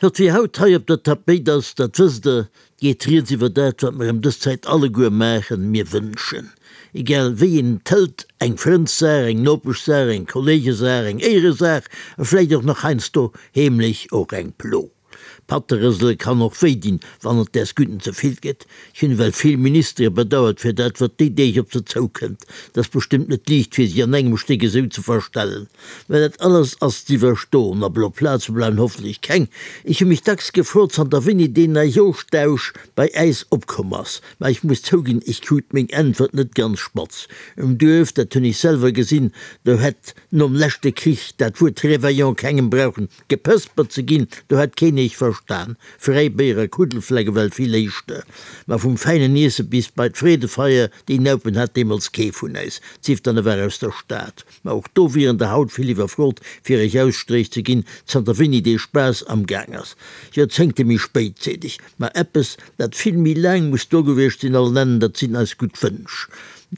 Wat fir haut hei op der Tapéit ass, dat wësst Der, 't geet rieds iwwer dat, wat mer ëm dës Zäit alleguer maachen, mir wënschen. Egal wéi een et hëlt, eng Frëndssaach, eng Nopeschsaach, eng Kolleegesaach, eng Éieresaach a vläicht och nach heiansdo heemlech och eng Plo. Patterësele kann och wéi dinn, wann et däers Gudden ze vill gëtt. Ech hunn ewell vill Ministere bedauert fir dat, wat déi Deeg op se zoukënnt. Et ass bestëmmt net liicht fir si an engem Stéck esou ze verstellen. Mä dat alles ass z'iwwerstoen a blo Plaze bleiwen hoffentlech keng. Ech hu mech dacks gefrot, zanter wéini deen Neijooschdausch bei äis opkomm ass. Mä ech muss zouginn, ech krut meng Äntwert net ganz spatz. Um Duerf, dat hunn ech selwer gesinn, do hätt nom leschte Krich dat Wuert Réveillon kengem brauchen Gepëspert ze ginn, do hätt keen eech verstan. Fräibéier a Kuddelflecke well vill éischter. Ma vum fäinen Iesse bis bei d'Freedefeier, déi Naupen hat deemools kee vun äis, sief dann e war aus der Stad. Ma och do wieren der haut vill iwwerfrot, fir eech Ausstréich ze ginn, zanter wéini dee Spaass am Gaang ass. Joerzéngte méi spéit, seet ech. Ma eppes, dat vill méi laang muss do gewiescht sinn, all nennen, dat sinn eis gutt Wënsch.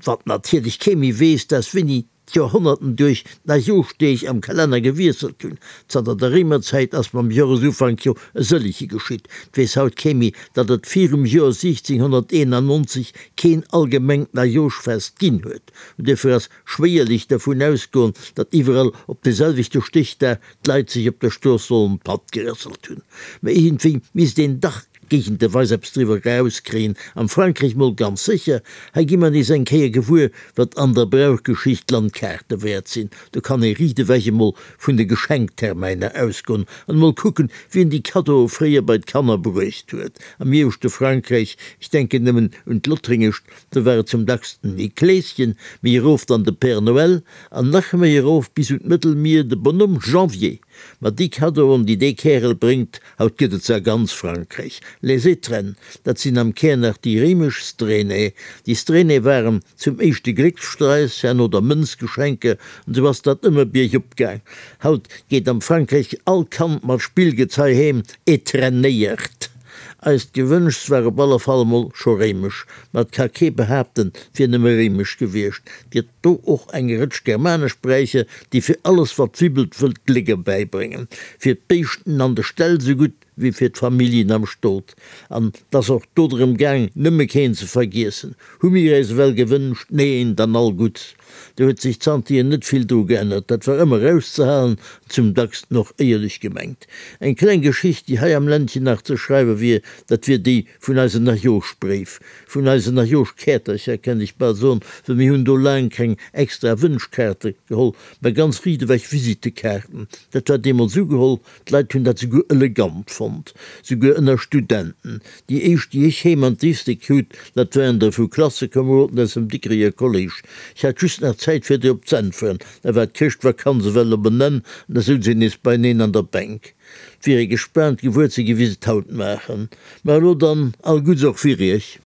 Wat natierlech kee méi weess, dat ass wéini d'Joerhonnerten duerch d'Neijoschdeeg am Kalenner gewiesselt hunn. Zanter der Réimerzäit ass mam Joresufank jo e sëllege geschitt. 't weess haut kee méi, datt et virum Joer 1691 keen allgemengt Neijoschfest ginn huet. An duerfir ass schwéierlech dervun ausgoen, datt iwwerall op de selwechte Stéchdag d'Leit sech op der Strooss sollen d'Patt gerësselt hunn. Mä iergendwéi misst een dach géigenteweis eppes driwwer erauskréien, am Frankräich mol ganz sécher. Hei gi mer nees eng Kéier gewuer, wat an der Brauchgeschicht Landkaarte wäert sinn. Do kann ee riicht ewech emol vun de Geschenktermäiner ausgoen an emol kucken, wien déi Kaddoe fréier bei d'Kanner bruecht huet. Am ieweschte Frankräich, ech denken nëmmen un d'Lothringescht, do war et zum dacksten Nikléschen, méi erof dann de Père Noël an nach méi erof bis un d'Mëttelmier de Bonhomme Janvier. Ma déi Kaddoen, déi dee Kärel bréngt, haut gëtt et se a ganz Frankräich. Les Étrennes, dat sinn am Kär nach déi réimesch Strenae. Déi Strenae waren zum éischte Gléckssträiss, herno der Mënzgeschenke, an esou ass dat ëmmer biergop gaang. Haut geet am Frankräich all Kand mat Spillgezei heem, étrennéiert. Eist Gewënschs war op alle Fall emol scho réimesch, ma et ka kee behaapten, 't wier nëmme réimesch gewiescht. 't gëtt do och eng Rëtsch germanesch Bräicher, déi fir alles wat wibbelt wëllt Gléck erbäibréngen, fir d'Béischten an de Ställ sougutt wéi fir d'Familljen am Stot. An 't ass och do drëm gaang, nëmme keen ze vergiessen. Hu mir äis ewell gewënscht? Neen, dann all Gutts. Do huet sech zanterhier net vill dru geännert. Dat war ëmmer auszehalen an zum dacksten och éierlech gemengt. Eng kleng Geschicht, déi hei am Ländchen nach ze schreiwe wier, dat wier déi vun eisen Najooschbréif, vun eisen Najooschkäertercher, kennt ech bal soen, well mir hunn do laang keng extra Wënschkaarte geholl, mä ganz riit ewech Visittekaarten. Dat war deemools ugeholl, D'Leit hunn dat souguer elegant fonnt, souguer ënner Studenten. Déi éischt, déi ech heem an d'Lycée krut, dat waren der vu Klassekomeroden aus dem Dikreger Kolléisch. Ech hat just nach Zäit fir drop z'äntweren, da war d'Chrëschtvakanz ewell op en Enn an da souz een nees beineen an der Bänk. 't wier ee gespaant gewuer ze gi wéi se 't haut maachen. Ma elo dann all Gudds och fir iech.